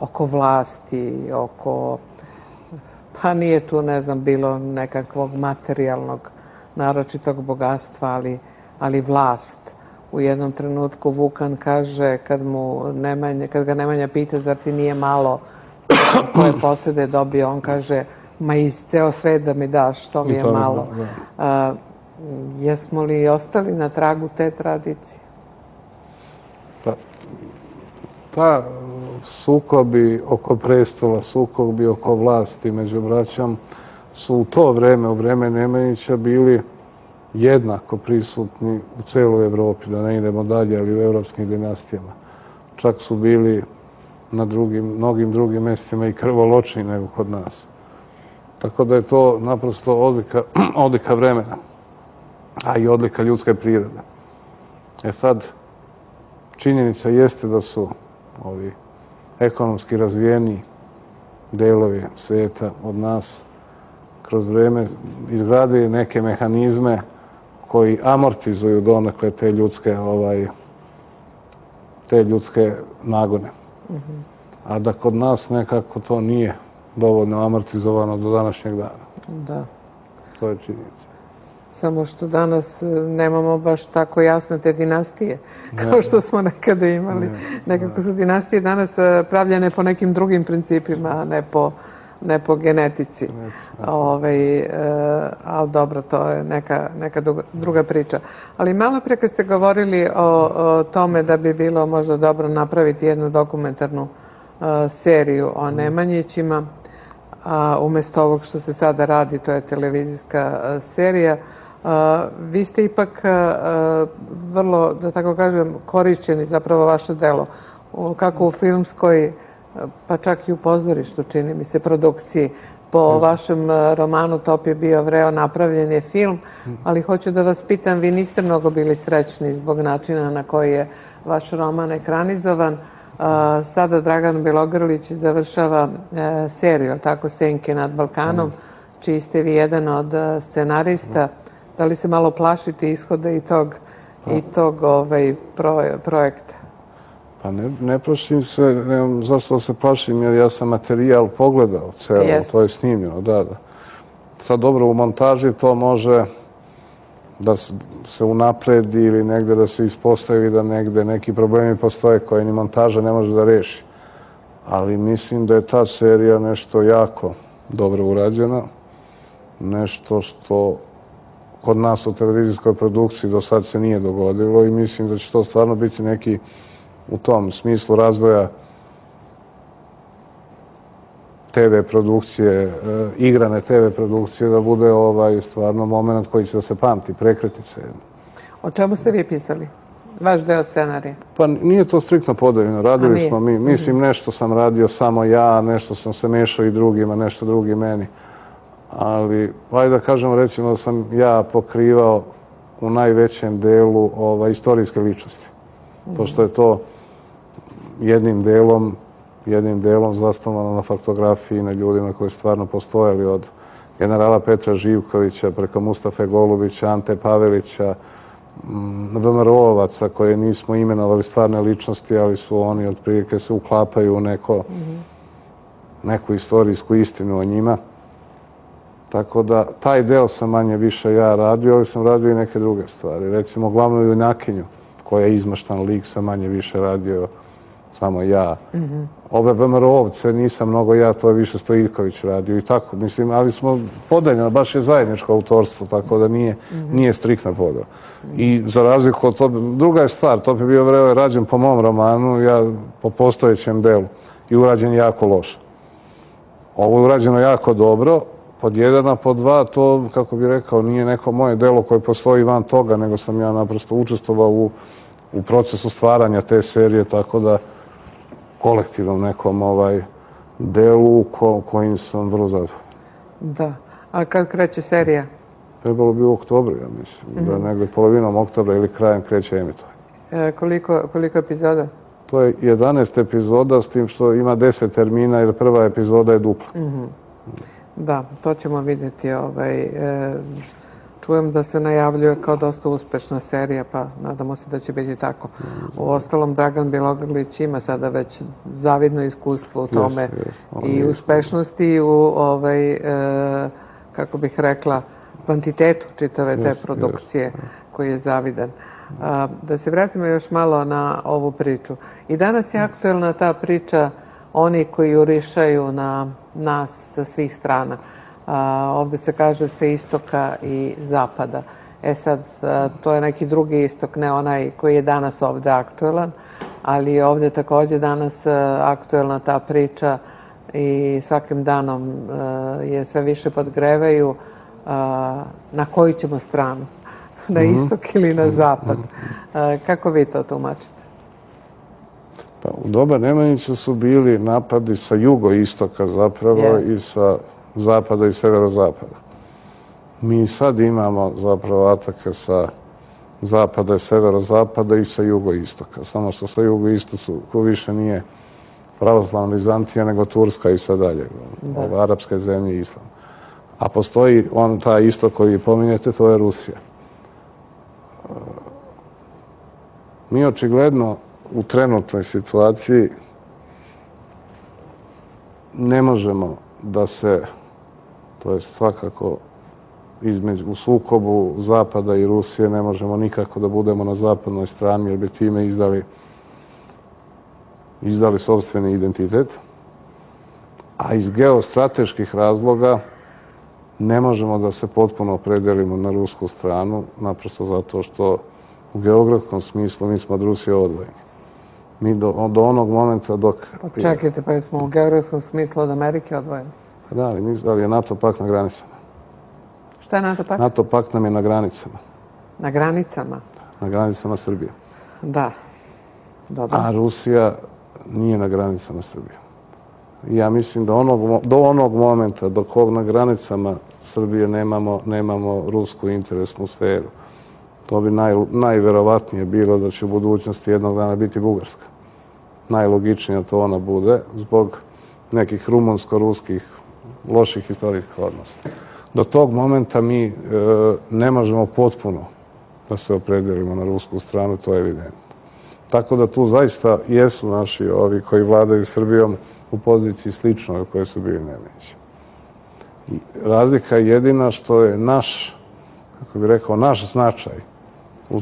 oko vlasti, oko, pa nije tu, ne znam, bilo nekakvog materijalnog, naročitog bogatstva, ali vlast. U jednom trenutku Vukan kaže, kad ga Nemanja pita zar ti nije malo koje posede dobio, on kaže, ma i ceo svet da mi daš, to mi je malo. Jesmo li ostali na tragu te tradicije? Pa, sukobi oko prestola, sukobi oko vlasti među braćom su u to vreme, u vreme Nemanjića, bili jednako prisutni u celoj Evropi, da ne idemo dalje, ali u evropskim dinastijama. Čak su bili na mnogim drugim mestima i krvoločniji nego kod nas. Tako da je to naprosto odlika vremena, a i odlika ljudske prirode. Sad, činjenica jeste da su ovi ekonomski razvijeni delovi sveta od nas kroz vreme izgradili neke mehanizme koji amortizuju donekle te ljudske nagone. A da kod nas nekako to nije dovoljno amortizovano do današnjeg dana. Da. To je činjenica. Samo što danas nemamo baš tako jasne te dinastije, kao što smo nekada imali. Nekako su dinastije danas pravljene po nekim drugim principima, a ne po genetici. Ali dobro, to je neka druga priča. Ali malo pre kad ste govorili o tome da bi bilo možda dobro napraviti jednu dokumentarnu seriju o Nemanjićima, umesto ovog što se sada radi, to je televizijska serija, vi ste ipak vrlo, da tako kažem, korišćeni zapravo vaše delo, kako u filmskoj, pa čak i u pozorištu, čini mi se, produkciji. Po vašem romanu Top je bio vreo, napravljen je film, ali hoću da vas pitam, vi niste mnogo bili srećni zbog načina na koji je vaš roman ekranizovan. Sada Dragan Bjelogrlić završava seriju, tako, Senke nad Balkanom, čiji ste vi jedan od scenarista. Da li se malo plašite ishoda i tog projekta? Pa ne plašim se, nemam zašto da se plašim, jer ja sam materijal pogledao celo, to je snimljeno, da. Sad dobro, u montaži to može da se unapredi ili negde da se ispostavi da negde neki problemi postoje koje ni montaža ne može da reši. Ali mislim da je ta serija nešto jako dobro urađena, nešto što kod nas u televizijskoj produkciji do sad se nije dogodilo i mislim da će to stvarno biti neki u tom smislu razvoja TV produkcije, igrane TV produkcije, da bude stvarno moment koji će da se pamti, prekretnice. O čemu ste vi pisali? Vaš deo scenarija? Pa nije to striktno podeljeno. Radili smo mi. Mislim, nešto sam radio samo ja, nešto sam se mešao i drugima, nešto drugi meni. Ali, hajde da kažemo, recimo da sam ja pokrivao u najvećem delu istorijske ličnosti. Pošto je to jednim delom zasnovano na faktografiji, na ljudima koji stvarno postojali od generala Petra Živkovića, preko Mustafe Golubića, Ante Pavelića, VMRO-ovaca koje nismo imenovali stvarne ličnosti, ali su oni otprilike se uklapaju u neku istorijsku istinu o njima. Tako da, taj deo sam manje više ja radio, ali sam radio i neke druge stvari. Recimo, glavnu junakinju, koja je izmaštan lik, sam manje više radio samo ja. Ove VMRO-ovce nisam mnogo ja, to je više Stojiković radio i tako, mislim, ali smo podeljeno, baš je zajedničko autorstvo, tako da nije striktna podela. I za razliku od toga, druga je stvar, to bi bio rađen po mom romanu, ja po postojećem delu, i urađen jako loše. Ovo je urađeno jako dobro, pod jedan, a pod dva, to, kako bih rekao, nije neko moje delo koje postoji van toga, nego sam ja naprosto učestvovao u procesu stvaranja te serije, tako da kolektivnom nekom delu kojim sam vrlo zadovoljan. Da. A kad kreće serija? Trebalo bi u oktobru, ja mislim. Da negdje polovinom oktobra ili krajem kreće emitovanje. Koliko epizoda? To je 11 epizoda, s tim što ima 10 termina, jer prva epizoda je dupla. Da, to ćemo vidjeti. Čujem da se najavljuje kao dosta uspešna serija, pa nadamo se da će biti tako. U ostalom, Dragan Bjelogrlić ima sada već zavidno iskustvo u tome i uspešnosti u, kako bih rekla, kvantitetu čitave te produkcije koji je zavidan. Da se vratimo još malo na ovu priču. I danas je aktuelna ta priča oni koji jurišaju na nas sa svih strana. Ovdje se kaže sa istoka i zapada. Sad, to je neki drugi istok, ne onaj koji je danas ovdje aktuelan, ali je ovdje također danas aktuelna ta priča i svakim danom je sve više podgrevaju na koju ćemo stranu, na istok ili na zapad. Kako vi to tumačite? Pa, u doba Nemanjića su bili napadi sa jugoistoka zapravo i sa zapada i severozapada. Mi sad imamo zapravo atake sa zapada i severozapada i sa jugoistoka. Samo što sa jugoistoka više nije pravoslavna Vizantija, nego Turska i sad dalje. Arapske zemlje i Islam. A postoji taj istok koji pominjete, to je Rusija. Mi očigledno u trenutnoj situaciji ne možemo da se, to je svakako u sukobu Zapada i Rusije, ne možemo nikako da budemo na zapadnoj strani jer bi time izdali sopstveni identitet. A iz geostrateških razloga ne možemo da se potpuno opredelimo na rusku stranu, naprosto zato što u geografskom smislu mi smo od Rusije odvojeni. Mi do onog momenta dok... Čekajte, pa smo u geografskom smislu od Amerike odvojeni? Da, ali je NATO pakt na granicama. Šta je NATO pakt? NATO pakt nam je na granicama. Na granicama? Na granicama Srbije. Da. Dobro. A Rusija nije na granicama Srbije. Ja mislim da do onog momenta dok na granicama Srbije nemamo rusku interesnu sferu, to bi najverovatnije bilo da će u budućnosti jednog dana biti Bugarska. Najlogičnije to ona bude zbog nekih rumunsko-ruskih loših historijskih odnosa. Do tog momenta mi ne možemo potpuno da se opredelimo na rusku stranu, to je evidentno. Tako da tu zaista jesu naši ovi koji vladaju Srbijom u poziciji sličnoj koje su bili Nemanjići. Razlika je jedina što je naš, kako bih rekao, naš značaj u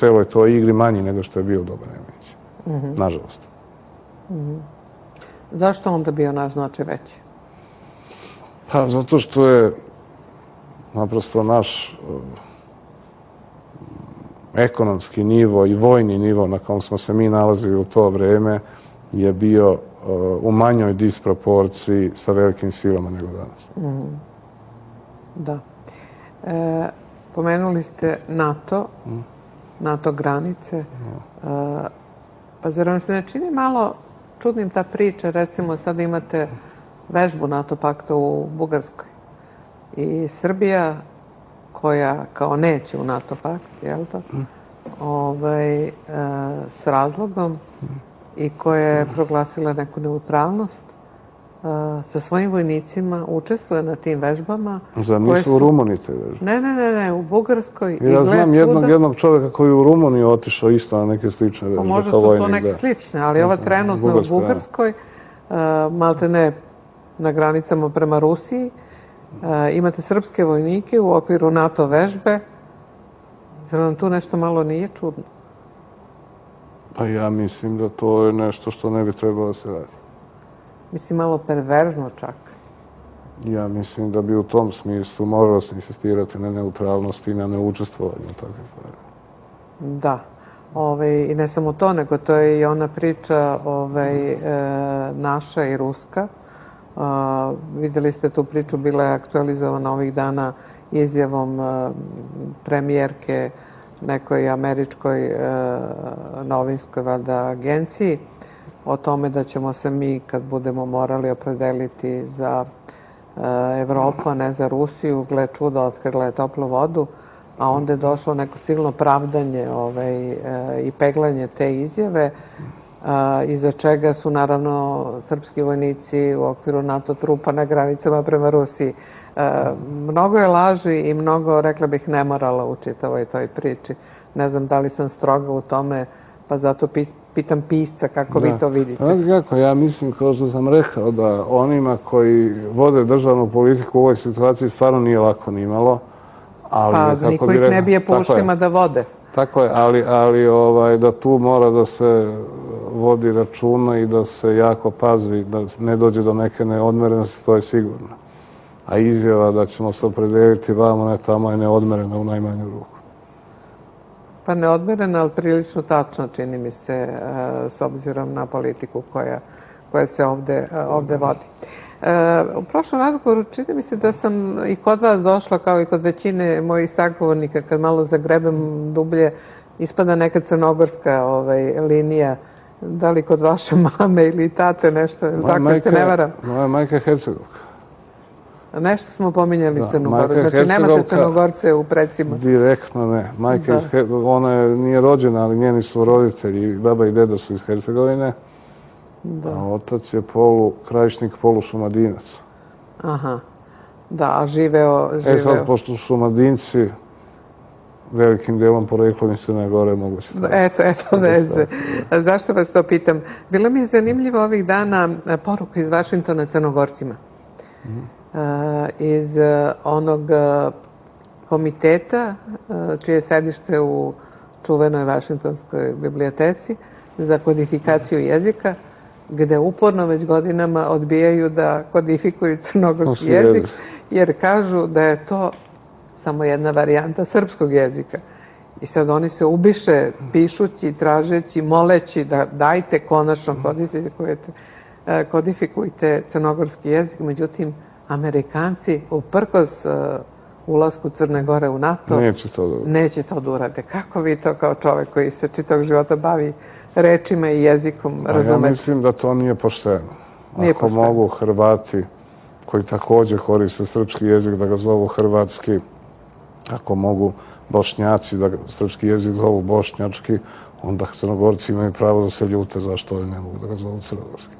celoj toj igri manji nego što je bio u doba Nemanjića. Nažalost. Zašto onda bio naš značaj veći? Pa zato što je naprosto naš ekonomski nivo i vojni nivo na kom smo se mi nalazili u to vreme je bio u manjoj disproporciji sa velikim silama nego danas. Da. Pomenuli ste NATO granice. Pa zar vam se ne čini malo čudnim ta priča? Recimo sad imate vežbu NATO pakta u Bugarskoj. I Srbija, koja kao neće u NATO pakt, jel to? S razlogom i koja je proglasila neku neutralnost, sa svojim vojnicima učestvuje na tim vežbama. Zar nisu u Rumuniji te vežbe? Ne, u Bugarskoj. Ja znam jednog čovjeka koji je u Rumuniji otišao isto na neke slične vežbe. Možda su to neke slične, ali ova trenutno u Bugarskoj, malte ne na granicama prema Rusiji, imate srpske vojnike u okviru NATO vežbe. Zar vam tu nešto malo nije čudno? Pa ja mislim da to je nešto što ne bi trebalo da se radi. Mislim, malo perverzno čak. Ja mislim da bi u tom smislu moralo se insistirati na neutralnosti i na neučestvovanju takve stvari. Da. I ne samo to, nego to je i ona priča naša i ruska. Videli ste tu priču, bila je aktualizovana ovih dana izjavom premijerke nekoj američkoj novinskoj agenciji o tome da ćemo se mi, kad budemo morali opredeliti za Evropu, a ne za Rusiju, gle čuda, otkrila je toplu vodu, a onda je došlo neko silno pravdanje i peglanje te izjave, iza čega su naravno srpski vojnici u okviru NATO trupa na granicama prema Rusiji. Mnogo je laži i mnogo, rekla bih, nemorala u čitavoj toj priči. Ne znam da li sam stroga u tome, pa zato pitam pisca kako vi to vidite. Ja mislim, kao što sam rekao, da onima koji vode državnu politiku u ovoj situaciji stvarno nije lako ni malo. Pa niko ih ne bije po ušima da vode. Tako je, ali da tu mora da se vodi računa i da se jako pazi, da ne dođe do neke neodmerenosti, to je sigurno. A izjava da ćemo se opredeliti vamo, ne tamo, je neodmerena u najmanju ruku. Pa neodmerena, ali prilično tačno, čini mi se, s obzirom na politiku koja se ovde vodi. U prošlom razgovoru čini mi se da sam i kod vas došla, kao i kod većine mojih sagovornika, kad malo zagrebem dublje, ispada neka crnogorska linija. Da li kod vaše mame ili tate nešto, zakon se ne varam? Moja majka je Hercegovka. Nešto smo pominjali Crnogoru. Znači, nemate Crnogorce u predsima? Direktno ne. Majka ona nije rođena, ali njeni su roditelji, baba i deda su iz Hercegovine. A otac je Krajišnik, Šumadinac. Aha. Da, a živeo... Sad, pošto su Šumadinci, velikim delom poreklom iz Crne Gore moguće. Eto veze. Zašto vas to pitam? Bilo mi je zanimljivo ovih dana poruka iz Vašingtona Crnogorcima. Iz onog komiteta čije sedište u čuvenoj Vašingtonskoj biblioteci za kodifikaciju jezika, gde uporno već godinama odbijaju da kodifikuju crnogorski jezik, jer kažu da je to samo jedna varijanta srpskog jezika. I sad oni se ubiše pišući, tražeći, moleći da dajte konačno kodifikujte crnogorski jezik. Međutim, Amerikanci, uprkos ulasku Crne Gore u NATO, neće to da urade. Kako vi to kao čovek koji se čitavog života bavi rečima i jezikom razumete? Ja mislim da to nije pošteno. Ako mogu Hrvati, koji također koriste srpski jezik, da ga zovu hrvatski, ako mogu Bošnjaci da srpski jezik zovu bošnjački, onda Crnogorci imaju pravo da se ljute zašto oni ne mogu da ga zovu crnogorski.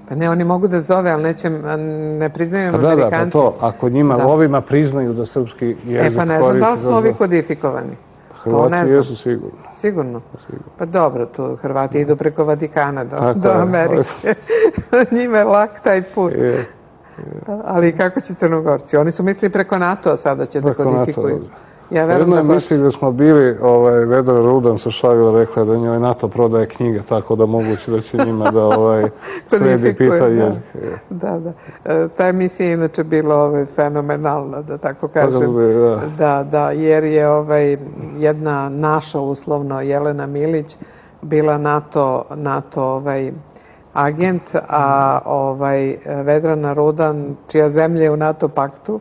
Pa ne, oni mogu da zove, ali ne priznaju Amerikanci. Da, pa to, ako njima ovima priznaju da srpski jezik koriste... Pa ne znam da li su ovi kodifikovani. Hrvati jesu sigurno. Sigurno? Pa dobro, tu Hrvati idu preko Vatikana do Amerike. Njima je lak taj put. Ali kako će Crnogorci? Oni su mislili preko NATO-a sada će da kodifikuju. Jedno je misli da smo bili, Vedra Rudan se šalila, rekla da njoj NATO prodaje knjige, tako da moguće da će njima da sledi pita jezik. Da. Ta emisija je inače bila fenomenalna, da tako kažem. Da, jer je jedna naša, uslovno, Jelena Milić, bila NATO agent, a Vedrana Rudan, čija zemlja je u NATO paktu,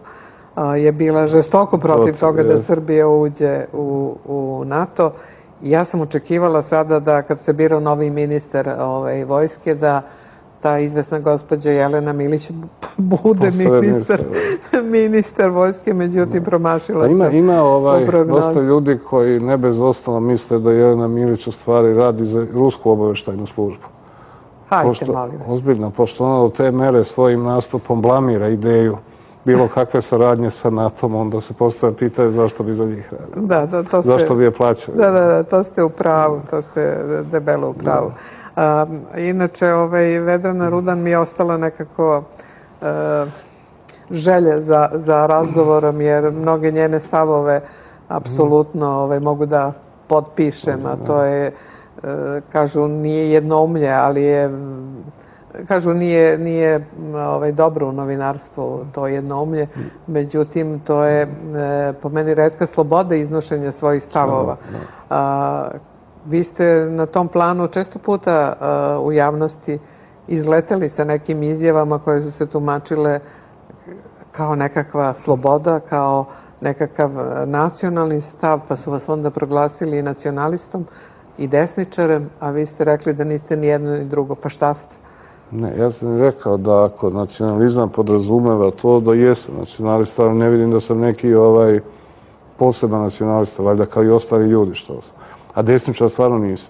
je bila žestoko protiv toga da Srbija uđe u NATO. Ja sam očekivala sada da kad se birao novi ministar vojske, da ta izvesna gospođa Jelena Milić bude ministar vojske, međutim promašila se. Ima dosta ljudi koji ne bez osnova misle da Jelena Milić u stvari radi za rusku obaveštajnu službu. Hajde, molim vas. Ozbiljno, pošto ona do te mere svojim nastupom blamira ideju bilo kakve saradnje sa NATO-om, onda se postavlja pitanje zašto bi za njih radili. Da, to zašto bi je plaćali. Da, to ste u pravu, to ste debelo u pravu. Inače, Vedrana Rudan mi je ostala nekako želje za razgovorom, jer mnoge njene stavove apsolutno mogu da potpišem, a to je, kažu, nije jednoumlje, ali je, kažu, nije dobro u novinarstvu to jednoumlje, međutim, to je po meni retka sloboda iznošenja svojih stavova. Vi ste na tom planu često puta u javnosti izleteli sa nekim izjavama koje su se tumačile kao nekakva sloboda, kao nekakav nacionalni stav, pa su vas onda proglasili i nacionalistom i desničarem, a vi ste rekli da niste ni jedno ni drugo. Pa šta ste? Ne, ja sam rekao da ako nacionalizam podrazumeva to da jesam nacionalista, ali ne vidim da sam neki poseban nacionalista, valjda kao i ostali ljudi što sam. A desničar stvarno nisam.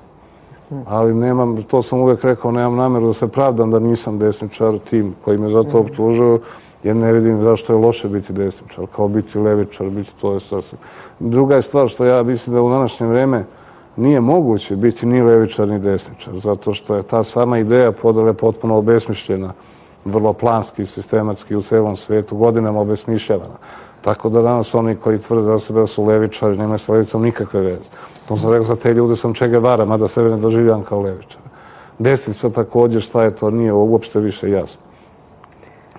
Ali nemam, to sam uvijek rekao, nemam namjeru da se pravdam da nisam desničar, tim koji me za to optužuju, jer ne vidim zašto je loše biti desničar, kao biti levičar, biti to je sasvim. Druga je stvar što ja mislim da u današnje vrijeme nije moguće biti ni levičar ni desničar, zato što je ta sama ideja podele potpuno obesmišljena, vrlo planski, sistematski u celom svijetu, godinama obesmišljavana. Tako da danas oni koji tvrde za sebe da su levičari, nemaju s levicom nikakve veze. To sam rekao, za te ljude sam Che Guevara, mada sebe ne doživljam kao levičar. Desnica također, šta je to, nije uopšte više jasno.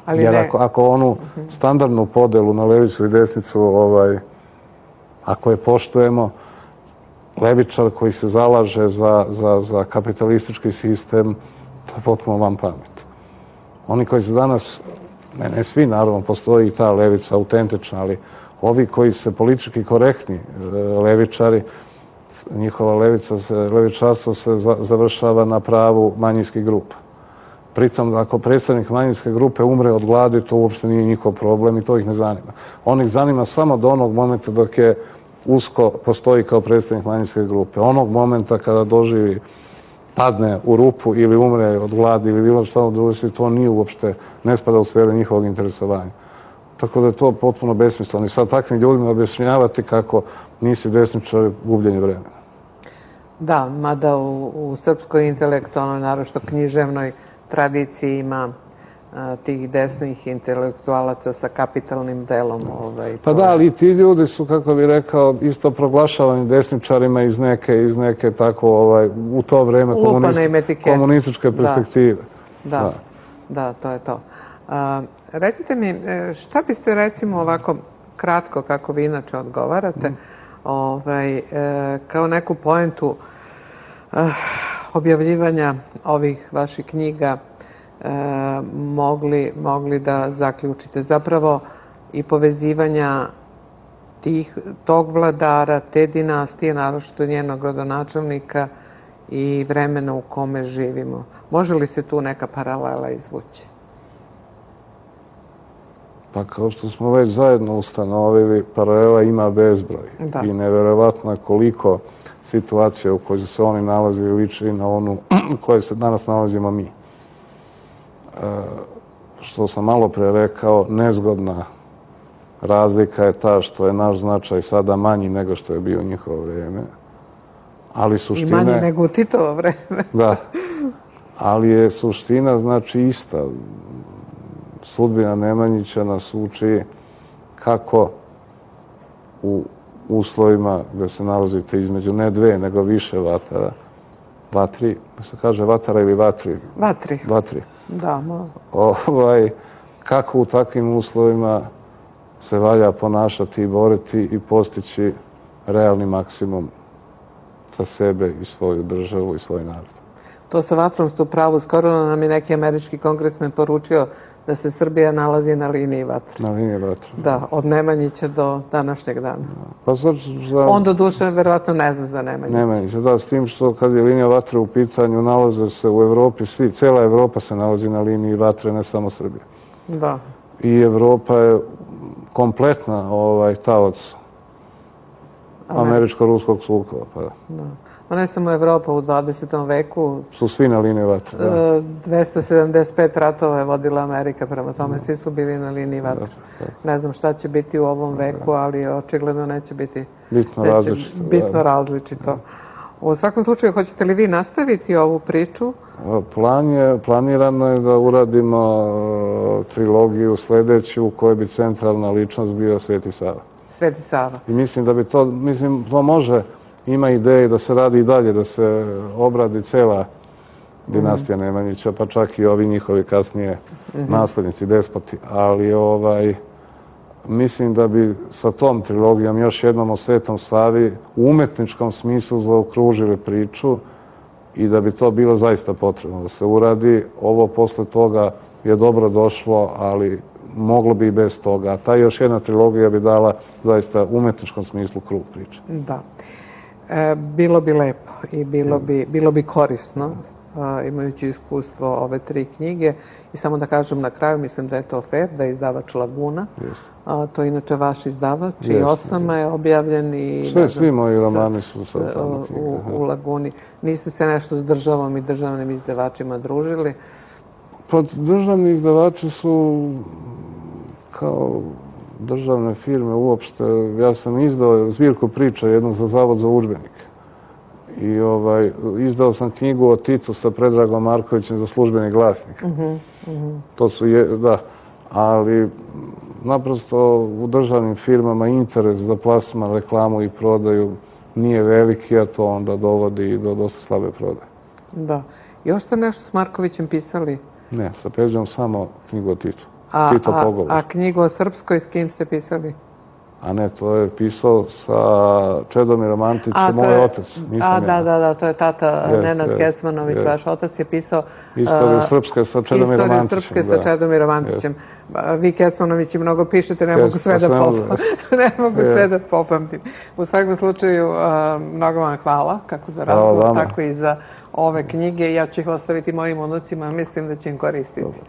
Jer ako onu standardnu podelu na levicu i desnicu, ako je poštujemo, levičar koji se zalaže za kapitalistički sistem, to je potpuno van pamet. Oni koji se danas, ne svi naravno, postoji i ta levica autentična, ali ovi koji se politički korektni levičari, njihova levičarstvo se završava na pravu manjinskih grupa. Pritom, ako predstavnik manjinske grupe umre od gladi, to uopšte nije njihov problem i to ih ne zanima. On ih zanima samo do onog momenta dok je usko postoji kao predstavnik manjinske grupe. Onog momenta kada doživi, padne u rupu ili umre od gladi ili bilo što drugo, to nije uopšte, ne spada u sferu njihovog interesovanja. Tako da je to potpuno besmisleno. I sad takvim ljudima objašnjavati kako nisi desničar, gubljenje vremena. Da, mada u srpskoj intelektualnoj, naročito književnoj tradiciji ima tih desnih intelektualaca sa kapitalnim delom. Pa da, ali ti ljudi su, kako bih rekao, isto proglašavani desničarima iz neke tako, u to vreme komunističke perspektive. Da, to je to. Recite mi, šta biste recimo ovako kratko, kako vi inače odgovarate, kao neku poentu objavljivanja ovih vaših knjiga mogli da zaključite? Zapravo i povezivanja tog vladara, te dinastije, naročito njenog rodonačelnika i vremena u kome živimo. Može li se tu neka paralela izvući? Pa kao što smo već zajedno ustanovili, paralela ima bezbroj. I neverovatno je koliko situacija u kojoj se oni nalazili liči na onu u kojoj se danas nalazimo mi. Što sam malo pre rekao, nezgodna razlika je ta što je naš značaj sada manji nego što je bio u njihovo vrijeme. Ali suština... I manji nego u Titovo vreme. Da. Ali je suština znači ista. Sudbina Nemanjića nas uči kako u uslovima gde se nalazite između ne dve, nego više vatri, se kaže vatara ili vatri? Vatri. Da, kako u takvim uslovima se valja ponašati i boriti i postići realni maksimum za sebe i svoju državu i svoj narod. To sa vatrom ste u pravu. Skoro nam je neki američki kongresmen poručio da se Srbija nalazi na liniji vatre. Na liniji vatre. Da, od Nemanjića do današnjeg dana. On do duše verovatno ne zna za Nemanjića. Nemanjića, da, s tim što kad je linija vatre u pitanju, nalaze se u Evropi svi, cela Evropa se nalazi na liniji vatre, ne samo Srbija. Da. I Evropa je kompletna talac američko-ruskog sukoba. ne samo Evropa u 20. veku. Su svi na liniji vatre, da. 275 ratova je vodila Amerika, prema tome svi su bili na liniji vatre. Ne znam šta će biti u ovom veku, ali očigledno neće biti bitno različito. U svakom slučaju, hoćete li vi nastaviti ovu priču? Planirano je da uradimo trilogiju sledeću u kojoj bi centralna ličnost bio Sveti Sava. Sveti Sava. I mislim da bi to, to može, ima ideje da se radi i dalje, da se obradi cela dinastija Nemanjića, pa čak i ovi njihovi kasnije naslednici, despoti. Ali mislim da bi sa tom trilogijom još jednom o Svetom Savi u umetničkom smislu zaokružili priču i da bi to bilo zaista potrebno da se uradi. Ovo posle toga je dobro došlo, ali moglo bi i bez toga. A ta još jedna trilogija bi dala zaista u umetničkom smislu krug priče. Da. Bilo bi lepo i bilo bi korisno, imajući iskustvo ove 3 knjige. I samo da kažem na kraju, mislim da je to fair, da je izdavač Laguna. To je inače vaš izdavač i Osama je objavljen i... Svi moji romani su u Laguni. Niste se nešto s državom i državnim izdavačima družili? Pa državni izdavači su kao državne firme uopšte. Ja sam izdao zbirku priča jednu za Zavod za udžbenike. I izdao sam knjigu o Titu sa Predragom Markovićem za Službeni glasnik. To su, da, ali naprosto u državnim firmama interes za plasman, reklamu i prodaju nije veliki, a to onda dovodi i do dosta slabe prodaje. Da. Još ste nešto s Markovićem pisali? Ne, sa Peđom samo knjigu o Titu. A knjigu o Srpskoj s kim ste pisali? A ne, to je pisao sa Čedomirom Antićem, moj otac. Da, to je tata Nenad Kecmanović, vaš otac je pisao... Istoriju Srpske sa Čedomirom Antićem. Istoriju Srpske sa Čedomirom Antićem. Vi Kecmanovići mnogo pišete, ne mogu sve da popamtim. U svakom slučaju, mnogo vam hvala, kako za razgovor, tako i za ove knjige. Ja ću ih ostaviti mojim unucima, mislim da će im koristiti.